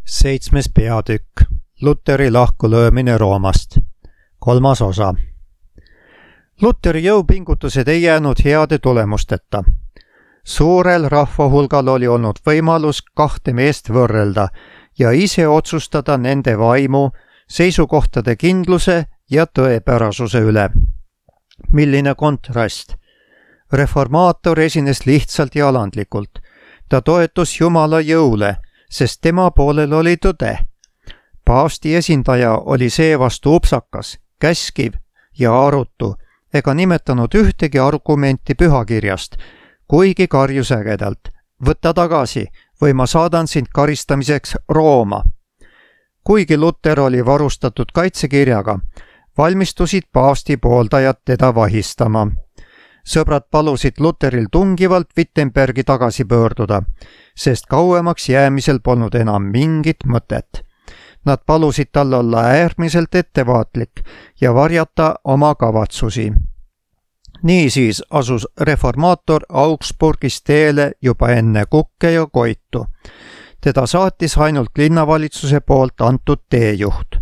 7. peatükk Luteri lahkulöömine Roomast. 3. osa. Luteri jõupingutused ei jäänud heade tulemusteta. Suurel rahvahulgal oli olnud võimalus kahte meest võrrelda ja ise otsustada nende vaimu, seisukohtade kindluse ja tõepärasuse üle. Milline kontrast! Reformaator esines lihtsalt ja alandlikult. Ta toetus Jumala jõule, sest tema poolel oli tõde. Paavsti esindaja oli seevastu upsakas, käskiv ja arutu, ega nimetanud ühtegi argumenti pühakirjast, kuigi karjus ägedalt: võta tagasi või ma saadan sind karistamiseks Rooma. Kuigi Luter oli varustatud kaitsekirjaga, valmistusid paavsti pooldajad teda vahistama. Sõbrad palusid Luteril tungivalt Wittenbergi tagasi pöörduda, sest kauemaks jäämisel polnud enam mingit mõtet. Nad palusid tal olla äärmiselt ettevaatlik ja varjata oma kavatsusi. Niisiis asus reformaator Augsburgis teele juba enne Kukke ja Koitu. Teda saatis ainult linnavalitsuse poolt antud teejuht.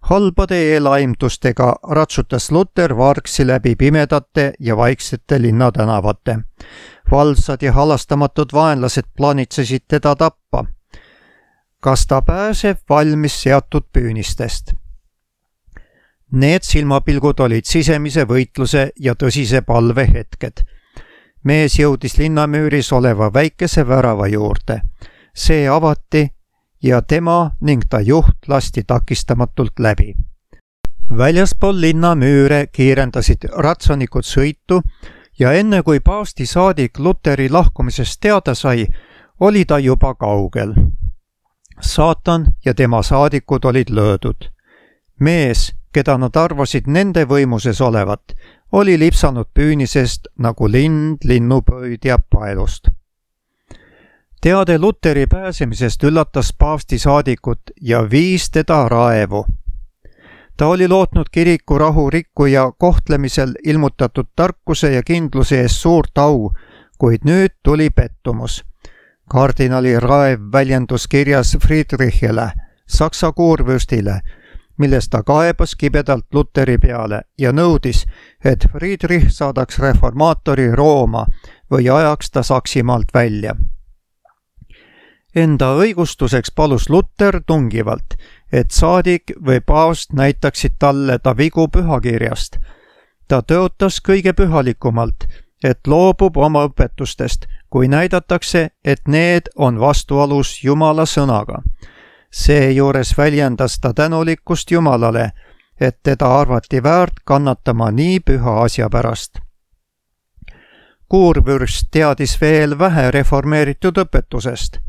Halbade eelaimdustega ratsutas Luter vargsi läbi pimedate ja vaiksete linnatänavate. Valvsad ja halastamatud vaenlased plaanitsesid teda tappa. Kas ta pääseb valmis seatud püünistest? Need silmapilgud olid sisemise võitluse ja tõsise palve hetked. Mees jõudis linnamüüris oleva väikese värava juurde. See avati ja tema ning ta juht lasti takistamatult läbi. Väljaspool linnamüüre kiirendasid ratsanikud sõitu ja enne kui paavsti saadik Luteri lahkumisest teada sai, oli ta juba kaugel. Saatan ja tema saadikud olid löödud. Mees, keda nad arvasid nende võimuses olevat, oli lipsanud püünisest nagu lind linnupöödja paelust. Teade Luteri pääsemisest üllatas paavsti saadikut ja viis teda raevu. Ta oli lootnud kiriku rahu rikkuja kohtlemisel ilmutatud tarkuse ja kindluse ees suurt au, kuid nüüd tuli pettumus. Kardinali raev väljendus kirjas Friedrichile, Saksa kuurvürstile, milles ta kaebas kibedalt Luteri peale ja nõudis, et Friedrich saadaks reformaatori Rooma või ajaks ta Saksimaalt välja. Enda õigustuseks palus Luter tungivalt, et saadik või paavst näitaksid talle ta vigu pühakirjast. Ta tõotas kõige pühalikumalt, et loobub oma õpetustest, kui näidatakse, et need on vastuolus Jumala sõnaga. Seejuures väljendas ta tänulikkust Jumalale, et teda arvati väärt kannatama nii püha asja pärast. Kuurvürst teadis veel vähe reformeeritud õpetusest,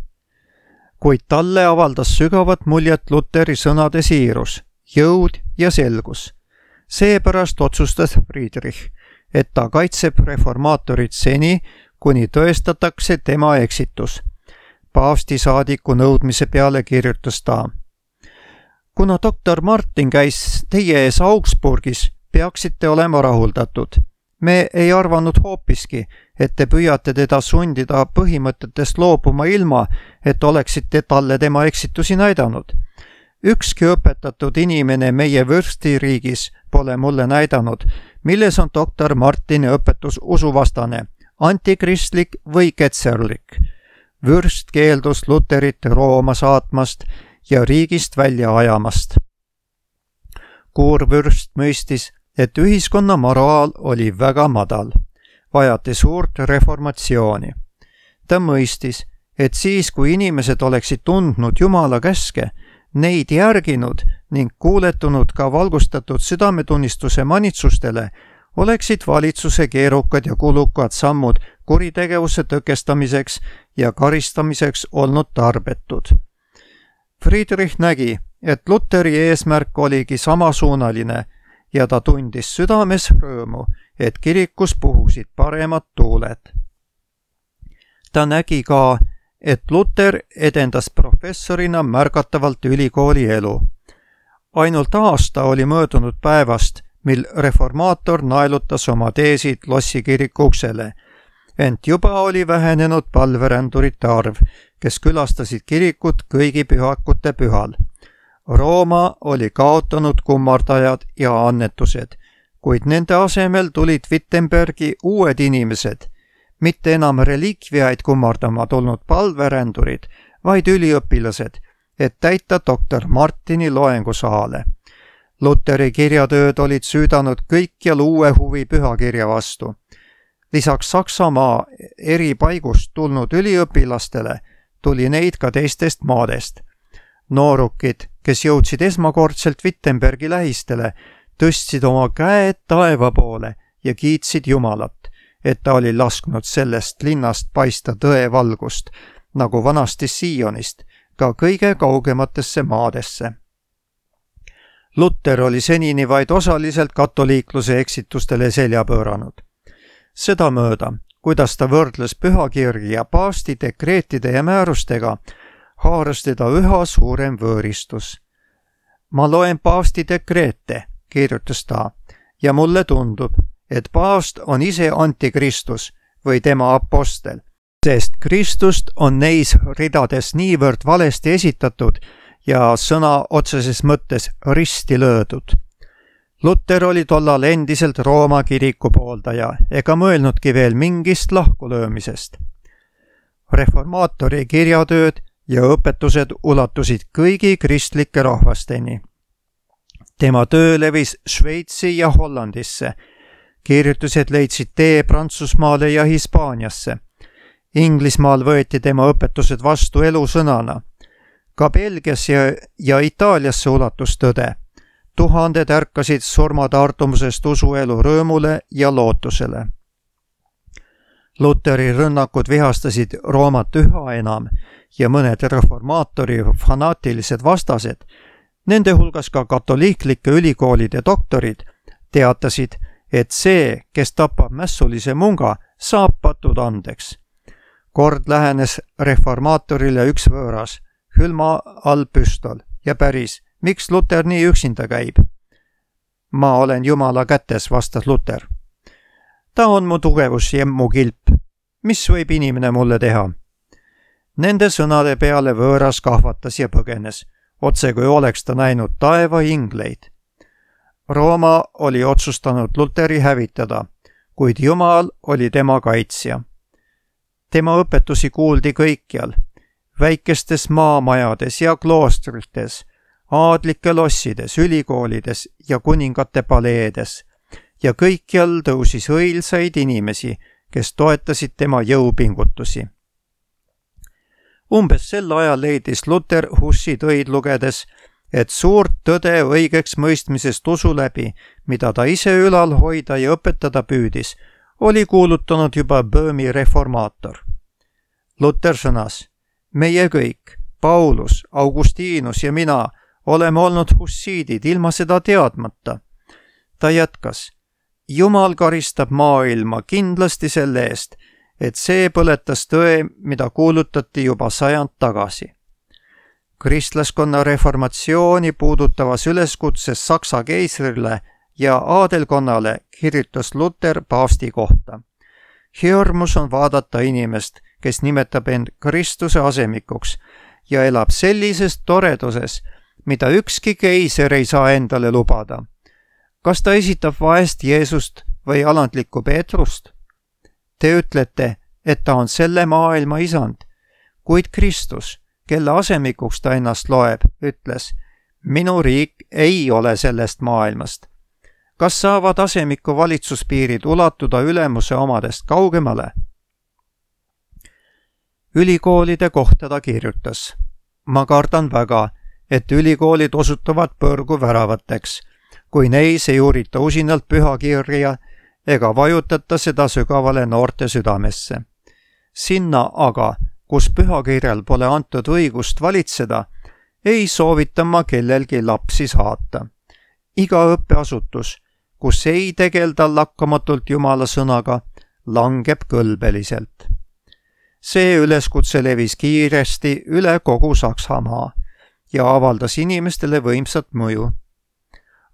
kuid talle avaldas sügavat muljet Luteri sõnade siirus, jõud ja selgus. Seepärast otsustas Friedrich, et ta kaitseb reformaatorit seni, kuni tõestatakse tema eksitus. Paavsti saadiku nõudmise peale kirjutas ta: kuna doktor Martin käis teie ees Augsburgis, peaksite olema rahuldatud. Me ei arvanud hoopiski, et te püüate teda sundida põhimõtetest loobuma ilma, et oleksite talle tema eksitusi näidanud. Ükski õpetatud inimene meie vürstiriigis pole mulle näidanud, milles on doktor Martini õpetus usuvastane, antikristlik või ketserlik. Vürst keeldus Luterit Rooma saatmast ja riigist välja ajamast. Kuurvürst mõistis, et ühiskonna moraal oli väga madal, vajati suurt reformatsiooni. Ta mõistis, et siis, kui inimesed oleksid tundnud Jumala käske, neid järginud ning kuuletunud ka valgustatud südametunnistuse manitsustele, oleksid valitsuse keerukad ja kulukad sammud kuritegevuse tõkestamiseks ja karistamiseks olnud tarbetud. Friedrich nägi, et Luteri eesmärk oligi samasuunaline ja ta tundis südames rõõmu, et kirikus puhusid paremad tuuled. Ta nägi ka, et Luter edendas professorina märgatavalt ülikooli elu. Ainult aasta oli möödunud päevast, mil reformaator naelutas oma teesid Lossi kiriku uksele, ent juba oli vähenenud palverändurite arv, kes külastasid kirikut kõigi pühakute pühal. Rooma oli kaotanud kummardajad ja annetused, kuid nende asemel tulid Wittenbergi uued inimesed, mitte enam relikviaid kummardama tulnud palverändurid, vaid üliõpilased, et täita doktor Martini loengusaale. Luteri kirjatööd olid süüdanud kõikjal uue huvi pühakirja vastu. Lisaks Saksamaa eri paigust tulnud üliõpilastele tuli neid ka teistest maadest. Noorukid, kes jõudsid esmakordselt Wittenbergi lähistele, tõstsid oma käed taeva poole ja kiitsid Jumalat, et ta oli lasknud sellest linnast paista tõe valgust, nagu vanasti Siionist, ka kõige kaugematesse maadesse. Luter oli senini vaid osaliselt katoliikluse eksitustele selja pööranud. Sedamööda, kuidas ta võrdles pühakirja paavsti dekreetide ja määrustega, haaras teda üha suurem võõristus. Ma loen paavsti dekreete, kirjutas ta, ja mulle tundub, et paavst on ise antikristus või tema apostel, sest Kristust on neis ridades niivõrd valesti esitatud ja sõna otseses mõttes risti löödud. Luter oli tollal endiselt Rooma kiriku pooldaja ega mõelnudki veel mingist lahkulöömisest. Reformaatori kirjatööd ja õpetused ulatusid kõigi kristlike rahvasteni. Tema töö levis Šveitsi ja Hollandisse. Kirjutused leidsid tee Prantsusmaale ja Hispaaniasse. Inglismaal võeti tema õpetused vastu elusõnana. Ka Belgias ja Itaaliasse ulatus tõde. Tuhanded ärkasid surmataartumusest usuelu rõõmule ja lootusele. Luteri rünnakud vihastasid Roomat üha enam ja mõned reformaatori fanaatilised vastased, nende hulgas ka katoliiklike ülikoolide doktorid, teatasid, et see, kes tapab mässulise munga, saab patud andeks. Kord lähenes reformaatorile üks võõras, hülma all püstol ja päris, miks Luter nii üksinda käib? Ma olen Jumala kätes, vastas Luter. Ta on mu tugevus ja mu kilp. Mis võib inimene mulle teha? Nende sõnade peale võõras kahvatas ja põgenes, otse kui oleks ta näinud taeva ingleid. Rooma oli otsustanud Luteri hävitada, kuid Jumal oli tema kaitsja. Tema õpetusi kuuldi kõikjal, väikestes maamajades ja kloostrites, aadlike lossides, ülikoolides ja kuningate paleedes ja kõikjal tõusis õilsaid inimesi, kes toetasid tema jõupingutusi. Umbes sel ajal leidis Luter Hussi töid lugedes, et suurt tõde õigeks mõistmisest usu läbi, mida ta ise ülal hoida ja õpetada püüdis, oli kuulutanud juba Böömi reformaator. Luter sõnas, meie kõik, Paulus, Augustinus ja mina, oleme olnud hussiidid ilma seda teadmata. Ta jätkas, Jumal karistab maailma kindlasti selle eest, et see põletas tõe, mida kuulutati juba sajand tagasi. Kristlaskonna reformatsiooni puudutavas üleskutses Saksa keisrile ja aadelkonnale kirjutas Luter paavsti kohta. Hirmus on vaadata inimest, kes nimetab end Kristuse asemikuks ja elab sellises toreduses, mida ükski keiser ei saa endale lubada. Kas ta esitab vaest Jeesust või alandlikku Peetrust? Te ütlete, et ta on selle maailma isand, kuid Kristus, kelle asemikuks ta ennast loeb, ütles, minu riik ei ole sellest maailmast. Kas saavad asemiku valitsuspiirid ulatuda ülemuse omadest kaugemale? Ülikoolide kohta ta kirjutas. Ma kardan väga, et ülikoolid osutuvad põrgu väravateks, kui neis ei uurita usinalt pühakirja ega vajutata seda sügavale noorte südamesse. Sinna aga, kus pühakirjal pole antud õigust valitseda, ei soovita ma kellelgi lapsi saata. Iga õppeasutus, kus ei tegelda lakkamatult Jumala sõnaga, langeb kõlbeliselt. See üleskutse levis kiiresti üle kogu Saksamaa ja avaldas inimestele võimsat mõju.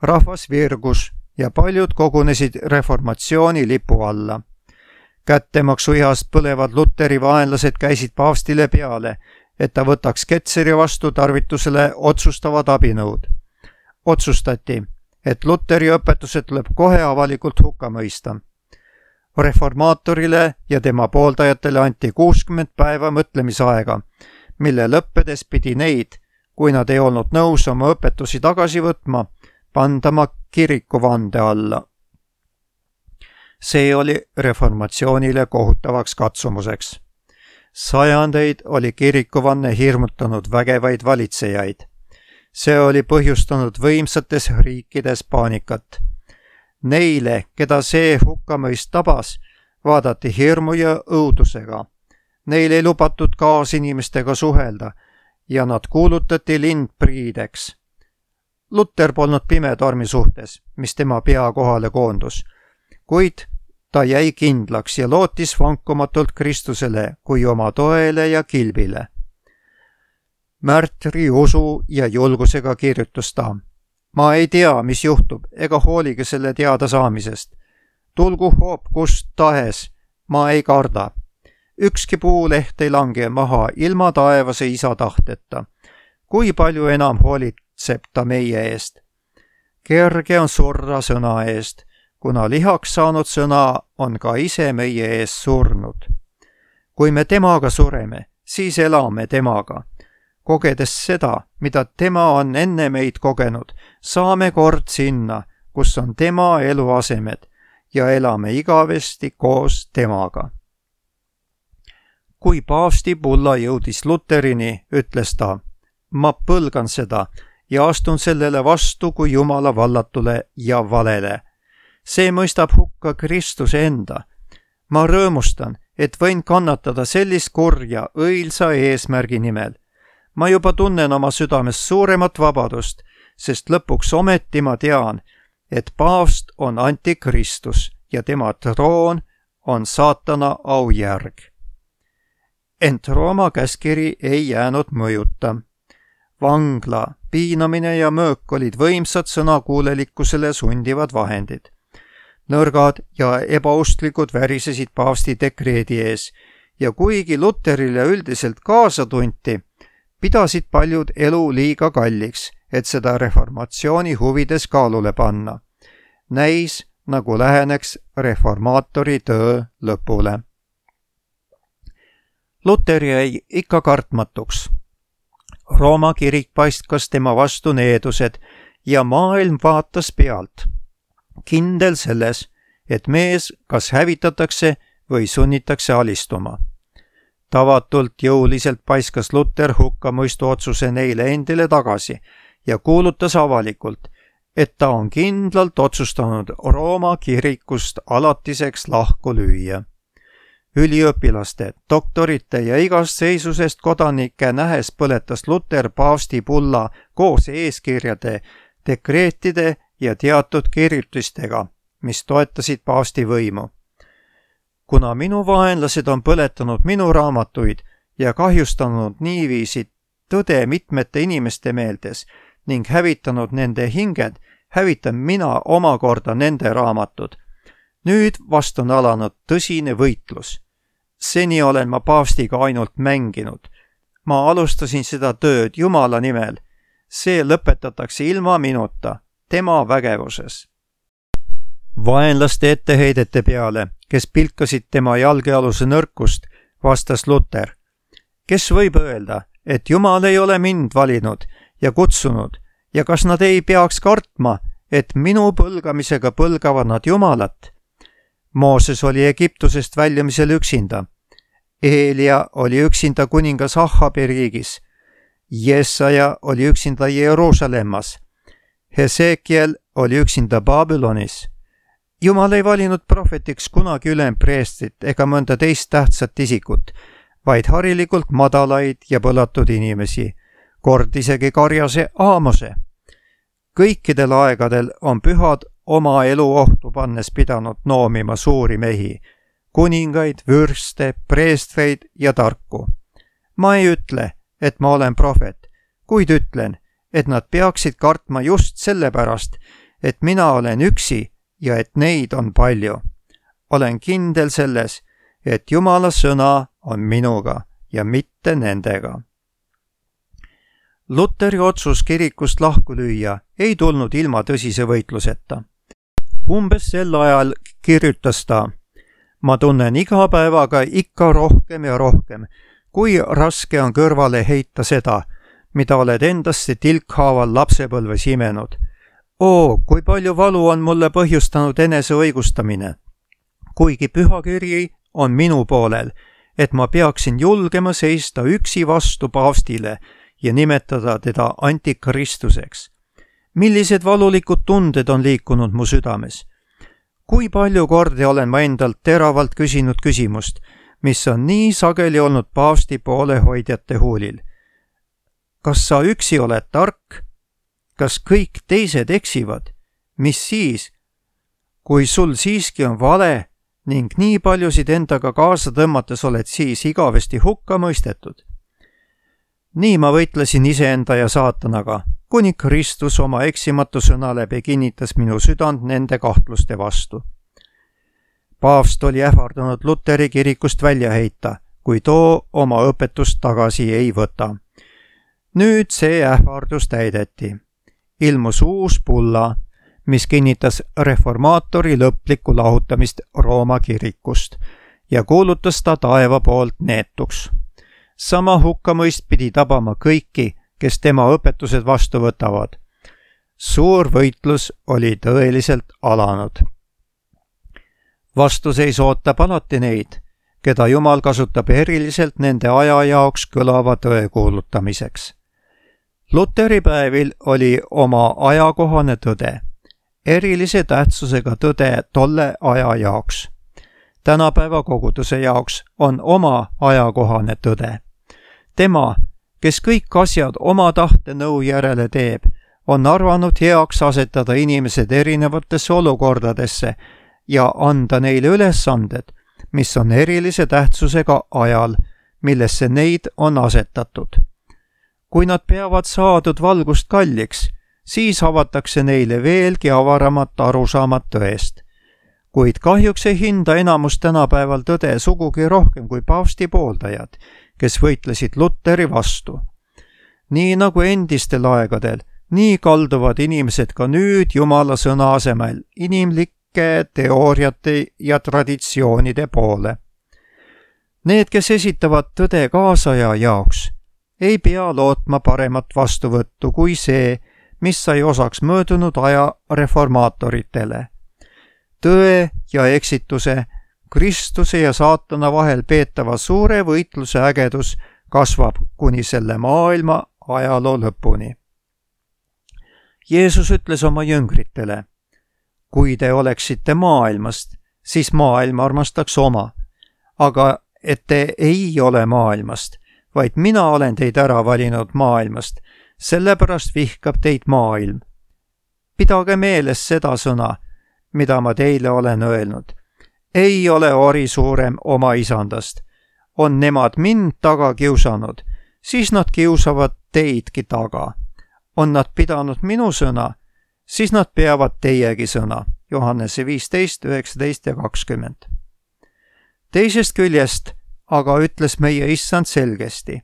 Rahvas virgus ja paljud kogunesid reformatsiooni lipu alla. Kättemaksuihast põlevad Luteri vaenlased käisid paavstile peale, et ta võtaks Ketseri vastu tarvitusele otsustavad abinõud. Otsustati, et Luteri õpetused tuleb kohe avalikult hukka mõista. Reformaatorile ja tema pooldajatele anti 60 päeva mõtlemisaega, mille lõppedes pidi neid, kui nad ei olnud nõus oma õpetusi tagasi võtma, pandama kirikuvande alla. See oli reformatsioonile kohutavaks katsumuseks. Sajandeid oli kirikuvanne hirmutanud vägevaid valitsejaid. See oli põhjustanud võimsates riikides paanikat. Neile, keda see hukkamõist tabas, vaadati hirmu ja õudusega. Neil ei lubatud kaasinimestega suhelda ja nad kuulutati lindpriideks. Luter polnud pimetormi suhtes, mis tema pea kohale koondus, kuid ta jäi kindlaks ja lootis vankumatult Kristusele kui oma toele ja kilbile. Märtri usu ja julgusega kirjutas ta: ma ei tea, mis juhtub, ega hoolige selle teada saamisest. Tulgu hoop kust tahes, ma ei karda. Ükski puuleht ei lange maha ilma taevase isa tahteta. Kui palju enam hoolitseb ta meie eest? Kerge on surra sõna eest, kuna lihaks saanud sõna on ka ise meie ees surnud. Kui me temaga sureme, siis elame temaga. Kogedes seda, mida tema on enne meid kogenud, saame kord sinna, kus on tema eluasemed ja elame igavesti koos temaga. Kui paavsti bulla jõudis Luterini, ütles ta: ma põlgan seda ja astun sellele vastu kui Jumala vallatule ja valele. See mõistab hukka Kristuse enda. Ma rõõmustan, et võin kannatada sellist kurja õilsa eesmärgi nimel. Ma juba tunnen oma südames suuremat vabadust, sest lõpuks ometi ma tean, et paavst on antikristus ja tema troon on saatana aujärg. Ent Rooma käskiri ei jäänud mõjuta. Vangla, piinamine ja möök olid võimsad sõnakuulelikkusele sundivad vahendid. Nõrgad ja ebaustlikud värisesid paavsti dekreedi ees ja kuigi Luterile üldiselt kaasa tunti, pidasid paljud elu liiga kalliks, et seda reformatsiooni huvides kaalule panna. Näis, nagu läheneks reformaatori töö lõpule. Luter jäi ikka kartmatuks. Rooma kirik paistkas tema vastu needused ja maailm vaatas pealt. Kindel selles, et mees kas hävitatakse või sunnitakse alistuma. Tavatult jõuliselt paiskas Luter hukkamõistu otsuse neile endile tagasi ja kuulutas avalikult, et ta on kindlalt otsustanud Rooma kirikust alatiseks lahku lüüa. Üliõpilaste, doktorite ja igast seisusest kodanike nähes põletas Luter paavsti bulla koos eeskirjade, dekreetide ja teatud kirjutistega, mis toetasid paavsti võimu. Kuna minu vaenlased on põletanud minu raamatuid ja kahjustanud niiviisi tõde mitmete inimeste meeldes ning hävitanud nende hinged, hävitan mina omakorda nende raamatud. Nüüd vast on alanud tõsine võitlus. Seni olen ma paavstiga ainult mänginud. Ma alustasin seda tööd Jumala nimel. See lõpetatakse ilma minuta, tema vägevuses. Vaenlaste etteheidete peale, kes pilkasid tema jalgealuse nõrkust, vastas Luter: kes võib öelda, et Jumal ei ole mind valinud ja kutsunud ja kas nad ei peaks kartma, et minu põlgamisega põlgavad nad Jumalat? Mooses oli Egiptusest väljumisel üksinda. Eelia oli üksinda kuningas Ahabi riigis. Jesaja oli üksinda Jeruusalemmas. Hesekiel oli üksinda Babylonis. Jumal ei valinud prohvetiks kunagi ülempreestrit ega mõnda teist tähtsat isikut, vaid harilikult madalaid ja põlatud inimesi, kord isegi karjase Aamose. Kõikidel aegadel on pühad oma elu ohtu pannes pidanud noomima suuri mehi, kuningaid, vürste, preestreid ja tarku. Ma ei ütle, et ma olen prohvet, kuid ütlen, et nad peaksid kartma just sellepärast, et mina olen üksi ja et neid on palju. Olen kindel selles, et Jumala sõna on minuga ja mitte nendega. Luteri otsus kirikust lahku lüüa ei tulnud ilma tõsise võitluseta. Umbes sel ajal kirjutas ta: ma tunnen iga päevaga ikka rohkem ja rohkem, kui raske on kõrvale heita seda, mida oled endasse tilkhaaval lapsepõlves imenud. Kui palju valu on mulle põhjustanud enese õigustamine, kuigi pühakiri on minu poolel, et ma peaksin julgema seista üksi vastu paavstile ja nimetada teda antikristuseks. Millised valulikud tunded on liikunud mu südames? Kui palju kordi olen ma endalt teravalt küsinud küsimust, mis on nii sageli olnud paavsti poolehoidjate huulil. Kas sa üksi oled tark? Kas kõik teised eksivad? Mis siis? Kui sul siiski on vale ning nii paljusid endaga kaasa tõmmates oled siis igavesti hukka mõistetud. Nii ma võitlesin iseenda ja saatanaga, kuni Kristus oma eksimatu sõna läbi kinnitas minu südant nende kahtluste vastu. Paavst oli ähvardanud Luteri kirikust välja heita, kui too oma õpetust tagasi ei võta. Nüüd see ähvardus täideti. Ilmus uus bulla, mis kinnitas reformaatori lõplikku lahutamist Rooma kirikust ja kuulutas ta taeva poolt neetuks. Sama hukkamõist pidi tabama kõiki, kes tema õpetused vastu võtavad. Suur võitlus oli tõeliselt alanud. Vastuseis ootab alati neid, keda Jumal kasutab eriliselt nende aja jaoks kõlava tõe kuulutamiseks. Luteri päevil oli oma ajakohane tõde, erilise tähtsusega tõde tolle aja jaoks. Tänapäeva koguduse jaoks on oma ajakohane tõde. Tema, kes kõik asjad oma tahte nõu järele teeb, on arvanud heaks asetada inimesed erinevatesse olukordadesse ja anda neile ülesanded, mis on erilise tähtsusega ajal, millesse neid on asetatud. Kui nad peavad saadud valgust kalliks, siis avatakse neile veelgi avaramat arusaamat tõest. Kuid kahjuks ei hinda enamus tänapäeval tõde sugugi rohkem kui paavsti pooldajad, kes võitlesid Luteri vastu. Nii nagu endistel aegadel, nii kalduvad inimesed ka nüüd Jumala sõna asemel inimlike teooriate ja traditsioonide poole. Need, kes esitavad tõde kaasaja jaoks, ei pea lootma paremat vastuvõttu kui see, mis sai osaks möödunud aja reformaatoritele. Tõe ja eksituse, Kristuse ja saatana vahel peetava suure võitluse ägedus kasvab kuni selle maailma ajaloo lõpuni. Jeesus ütles oma jüngritele: kui te oleksite maailmast, siis maailm armastaks oma, aga et te ei ole maailmast, vaid mina olen teid ära valinud maailmast, sellepärast vihkab teid maailm. Pidage meeles seda sõna, mida ma teile olen öelnud. Ei ole ori suurem oma isandast. On nemad mind taga kiusanud, siis nad kiusavad teidki taga. On nad pidanud minu sõna, siis nad peavad teiegi sõna. Johannese 15, 19 ja 20. Teisest küljest aga ütles meie issand selgesti: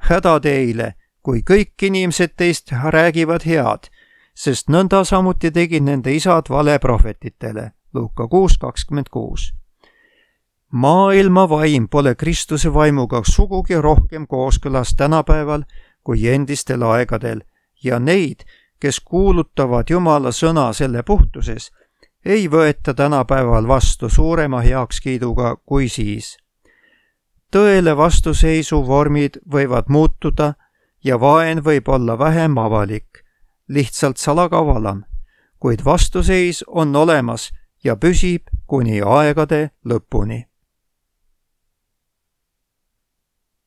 häda teile, kui kõik inimesed teist räägivad head, sest nõnda samuti tegid nende isad valeprohvetitele. Luuka 6:26. Maailma vaim pole Kristuse vaimuga sugugi rohkem kooskõlas tänapäeval kui endistel aegadel ja neid, kes kuulutavad Jumala sõna selle puhtuses, ei võeta tänapäeval vastu suurema heakskiiduga kui siis. Tõele vastuseisu vormid võivad muutuda ja vaen võib olla vähem avalik, lihtsalt salakavalam, kuid vastuseis on olemas ja püsib kuni aegade lõpuni.